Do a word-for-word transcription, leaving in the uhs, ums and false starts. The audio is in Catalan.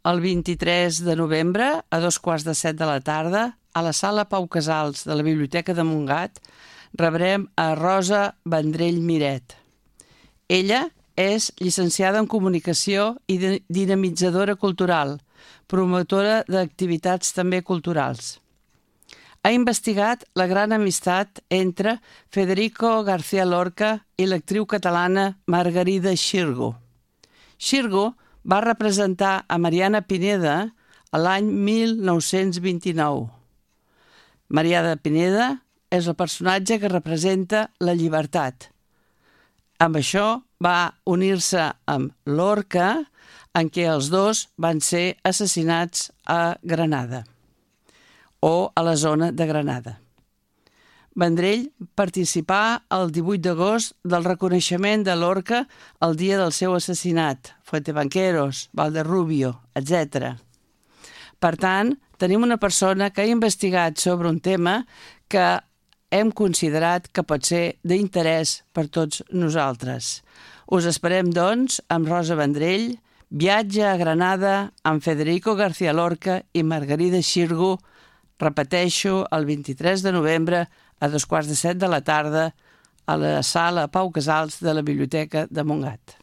El vint-i-tres de novembre, a dos quarts de set de la tarda, a la sala Pau Casals de la Biblioteca de Montgat, rebrem a Rosa Vendrell Miret. Ella és llicenciada en Comunicació i dinamitzadora cultural, promotora d'activitats també culturals. Ha investigat la gran amistat entre Federico García Lorca i l'actriu catalana Margarida Xirgu. Xirgu va representar a Mariana Pineda l'any mil nou-cents vint-i-nou. Mariana Pineda és el personatge que representa la llibertat. Amb això va unir-se amb Lorca, en què els dos van ser assassinats a Granada o a la zona de Granada. Vendrell participà el divuit d'agost del reconeixement de Lorca el dia del seu assassinat, Fuentebanqueros, Valderrubio, etcètera. Per tant, tenim una persona que ha investigat sobre un tema que hem considerat que pot ser d'interès per tots nosaltres. Us esperem, doncs, amb Rosa Vendrell, viatge a Granada amb Federico García Lorca i Margarida Xirgu, repeteixo, el vint-i-tres de novembre a dos quarts de set de la tarda a la sala Pau Casals de la Biblioteca de Montgat.